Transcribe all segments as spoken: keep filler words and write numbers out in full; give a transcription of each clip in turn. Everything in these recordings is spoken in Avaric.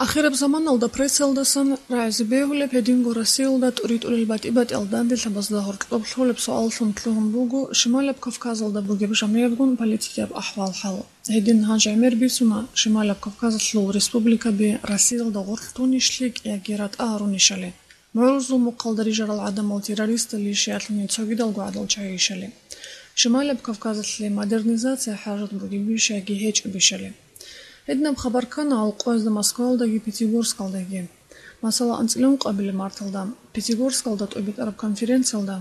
Ахираб заманалда прессалдасан рагӀизе бегьулеб, гьединго Россиялда тӀуритӀулел батӀи-батӀиял данделъабазда гьоркьоб лъолеб суаллъун лъугьун буго Шималаб Кавказалда бугеб жамигӀабгун политикияб ахӀвал-хӀал. Гьедин гьанже гӀемер бицуна Шималаб Кавказалъул республикаби Россиялда гъоркь тунищ лъикӀ яги ратӀа гьарунищали. МугӀрузул мухъалда рижарал гӀадамал террористалищ яги цогидалго гӀадал чагӀийищали. Шималаб Кавказалъе модернизация хӀажат бугебищ яги гьечӀебищали. Гьединаб хабар ккана гьал къоязда Москваялдаги Пятигорскалдаги. Масала, анцӀила ункъабилеб марталда Пятигорскалда тӀобитӀараб конференциялда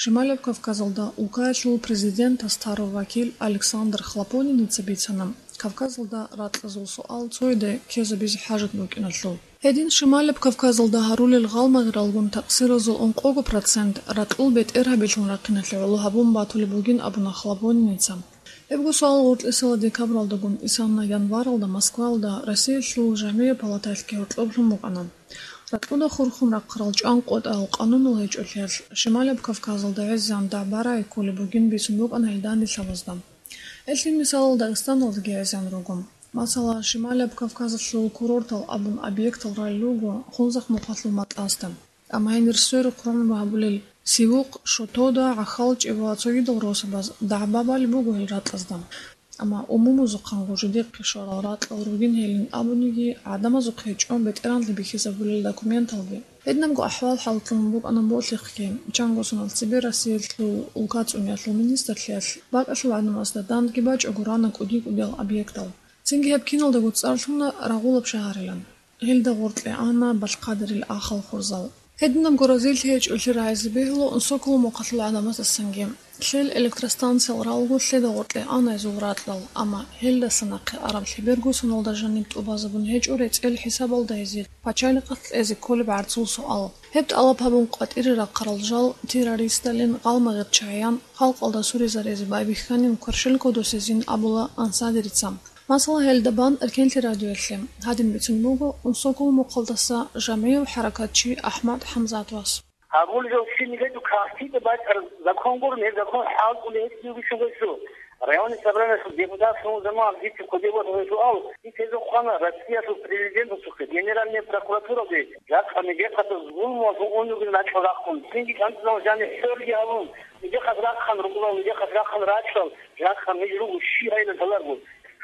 Шималаб Кавказалда улкаялъул президентас тарав вакил Александр Хлопониница бицана Кавказалда ракьазул суал цояда ккезабизе хӀажат букӀиналъул. Гьедин Шималаб Кавказалда гьарулел гъалмагъралгун такъсиразул ункъого процент ракьул бетӀергьабилъун рахъиналъе гӀоло гьабун батулеб бугин абуна Хлопониница. Гьебго суал гъоркьисела декабралдагун исана январалда Москвалда Россиялъул жамигӀ палаталъги гьоркьоблъун букӀана. Ракьуда хурхун рахъарал чӀван къотӀарал къанунал гьечӀолъиялъ Шималаб Кавказалда гӀезегӀан дагӀба рагӀи кколеб бугин бицун букӀана гьел данделъабазда. Гьелъин мисалал Дагъистаналдаги гӀезегӀан руго. Масала, Шималаб Кавказалъул курортал абун объектал ралел руго Хунзахъ мухъалъул матӀасда. Амма гьенир сверухъ рогӀун гьабулел Сивухъ, Шотода, ГӀахьалчӀеб ва цогидал росабаз дагӀба балеб буго гьел ракьазда. Амма умумузухъанго жидехъе щварал ракьал ругин гьелин абуниги, гӀадамазухъе чӀун бетӀергьанлъи бихьизабулел документалги. Гьединабго ахӀвал-хӀал лъугьун букӀана Болъихъги, чанго соналъ цебе Россиялъул улка цӀуниялъул министрлъиялъ бакӀалъул гӀадамазда дандги бачӀого рана кӀуди-кӀудиял объектал. Цинги гьеб киналдаго цӀар лъуна Рагъулаб шагьарилан. Гьелда гъоркье ана Балъхъадирил ахал хурзал. Гьединабго разилъи гьечӀолъи рагӀизе бегьула Унсоколо мухъалъул гӀадамаздасанги. Лъел электростанциял ралго лъеда гъоркье ана гьезул ракьал, амма гьелдаса нахъе араб лъеберго соналда жаниб тӀубазабун гьечӀо рецӀел хӀисабалда гьезие пачалихъалъ кьезе кколеб гӀарцул суал. Гьеб тӀалаб гьабун къватӀире рахъарал жал террористалин гъалмагъир чагӀиян халкъалда суризаризе байбихьанин кверщелкодосезин абула Ансадерица. Масала, гьелда бан Эркенлъи радиоялъе гьадин бицун буго Унсокол мухъалдаса жамгӀияв хӀаракатчи АхӀмад ХӀамзатовас. Гьабулел щиб нилъеда кагътида бачӀараб закон гурони, гьеб закон хӀалтӀулеб гьечӀеб бугищ гьесул. Районный собраниялъул депутатлъун заман дица кодеб батана суал, дица гьезухъана Россиялъул президентасухъе, Генеральный прокуратуралде, жакъа нижехъаса зулмуялъун ун ругин ракьал рахъун, цинги кӀанцӀалъун жаниб хӀорги гьабун, нижехъас рахъан рукъулал, нижехъас рахъан ракьал, жакъа ниж руго щиб гьайилан лъаларго,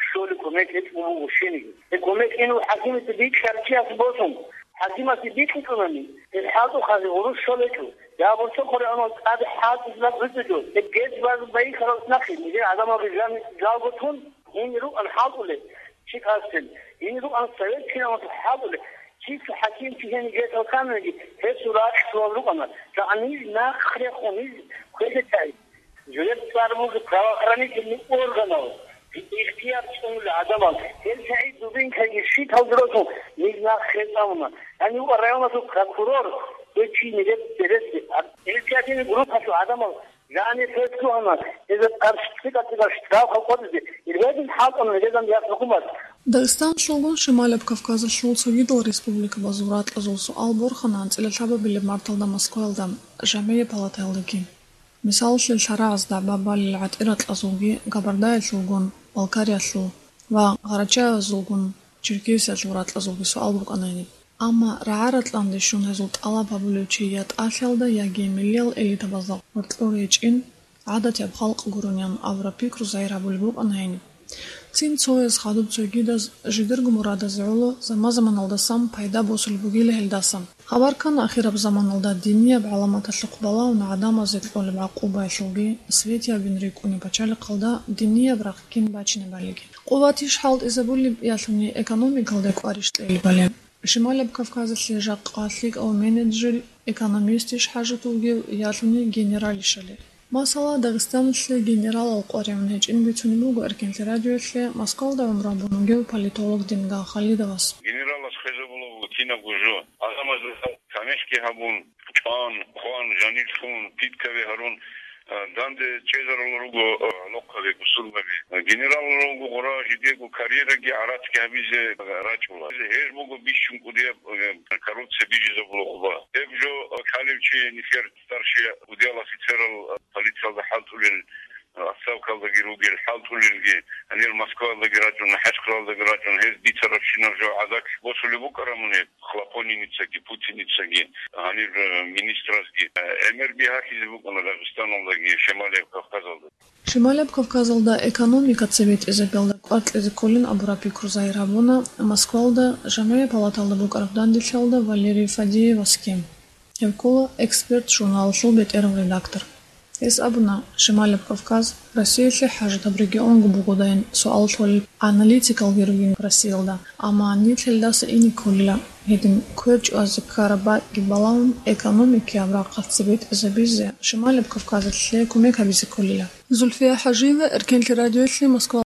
щолеб кумек гьечӀого буго щениги. Гьеб кумек гьенив хӀакимасде бикьарав чияс босун, хӀакимасде бикьичӀонани, гьеб хӀалтӀухъазе гъурущ щолечӀо. Я гъурцо хъуреанал тӀаде хӀалтӀизаб гьуцӀичӀо, гьеб гьез баз байихьарал нахъе, нижер гӀадамал рижани жалго тун, гьенир рукӀан хӀалтӀулеб, чи касен, гьенир рукӀан советский гӀумруялъул хӀалтӀулеб, чи цо хӀаким чи гьениб гьесул камеги, гьесул ракьалъувал рукӀана, жакъа ниж нахъ рехун, ниж квезе тӀай. Жидер цӀар буго правоохранительный органал, ихтияр цӀунулел гӀадамал, гьел СагӀид Дубинкаги щиталги росун, ниж нахъ хецӀ абуна. Гьанив районалъул прокурор, гьев чи нилъер береси, инициативный группалъул гӀадамал, жани фест лъугьана, гьезда къарши цӀикӀкӀа-цӀикӀкӀа штрафал къотӀизе, гьедин хӀалтӀана гьезда яс хӀукумат. Дагъистаналъулгун Шималаб Кавказалъул цогидал республикабазул ракьазул суал борхана анцӀила лъабабилеб марталда Москваялда, жамгӀия палатаялдаги. Мисалалъе, лъарагӀаз дагӀба балел гӀатӀиракьазулги, Кабардаялъулгун, Балкариялъул, ва Гъарачаязулгун, Черкесиялъул ракьазулги суал букӀана гьениб. Амма рагӀа-ратӀланде щун гьезул тӀалаб гьабулев чи я тӀалъиялда, яги миллиял элитабазда гъоркьор гьечӀин, гӀадатияб халкъ гурони абураб пикру загьир гьабулеб букӀана гьениб. Цин цояз хадуб цогидаз жидерго мурадазе гӀоло заман-заманалдасан пайда босулеб бугила гьелдаса. Хабар ккана ахираб заманалда динияб гӀаламаталъухъ балагьун гӀадамазе кьолеб гӀакъубаялъулги, светиябин рикӀкӀунеб пачалихъалда динияб рахъ кин бачинебалиги. Къуватищ хӀалтӀизабулеб ялъуни экономикалда кӀварищ кьелебали? Шималаб Кавказалъе жакъа лъикӀав менеджер, экономистищ хӀажат вугев ялъуни генералищали? Масала, Дагъистаналъе генералал къваригӀун гьечӀин бицунеб буго Эркенлъи радиоялъе Москвалда гӀумру гьабун вугев политолог Дингал Халидовас. Генералас хвезабулеб буго кинабго жо. Гьалмагъ тамихӀги гьабун, чӀван, хъван, жанирлъун, питкаби гьарун, а, данде чӀезарулел руго, а, гӀолохъаби, бусурбаби. Генералал руго гъура жидего карьераги гӀарацги гьабизе рачӀула. Гьеб буго бищун кӀудияб, а, коррупция бижизабулеб къуба. Гьеб жо, а, калев чи нилъер старший удиял офицерал, а, полициялда хӀалтӀулел отставкалдаги ругел, хӀалтӀулелги, гьанир Москваялдаги рачӀун, ХӀачкъралдаги рачӀун, гьез бицарабщинаб жо гӀадакь босулеб букӀарамуни, Хлопониницаги, Путиницаги, гьанир, э, министразги, э, гӀемер бигьалъизе букӀана Дагъистаналдаги, Шималияб Кавказалда. Шималияб Кавказалда экономика цебетӀезабиялда кӀвар кьезе кколин абураб пикру загьир гьабуна Москвалда ЖамгӀияб палаталда букӀараб данделъиялда Валерий Фадеевасги. Гьев ккола «Эксперт» журналалъул бетӀерав редактор. Гьес абуна, Шималияб Кавказ Россиялъе хӀажатаб регионго бугодайин суал лъолел аналитикалги ругин Россиялда, амма нилъ гьелдаса ине кколила. Гьедин квер чӀвазе ккараб бакӀги балагьун, экономикияб рахъалъ цебетӀезабизе Шималияб Кавказалъе кумек гьабизе кколила. Зульфия ХӀажиева, Эркенлъи радиоялъе, Москва.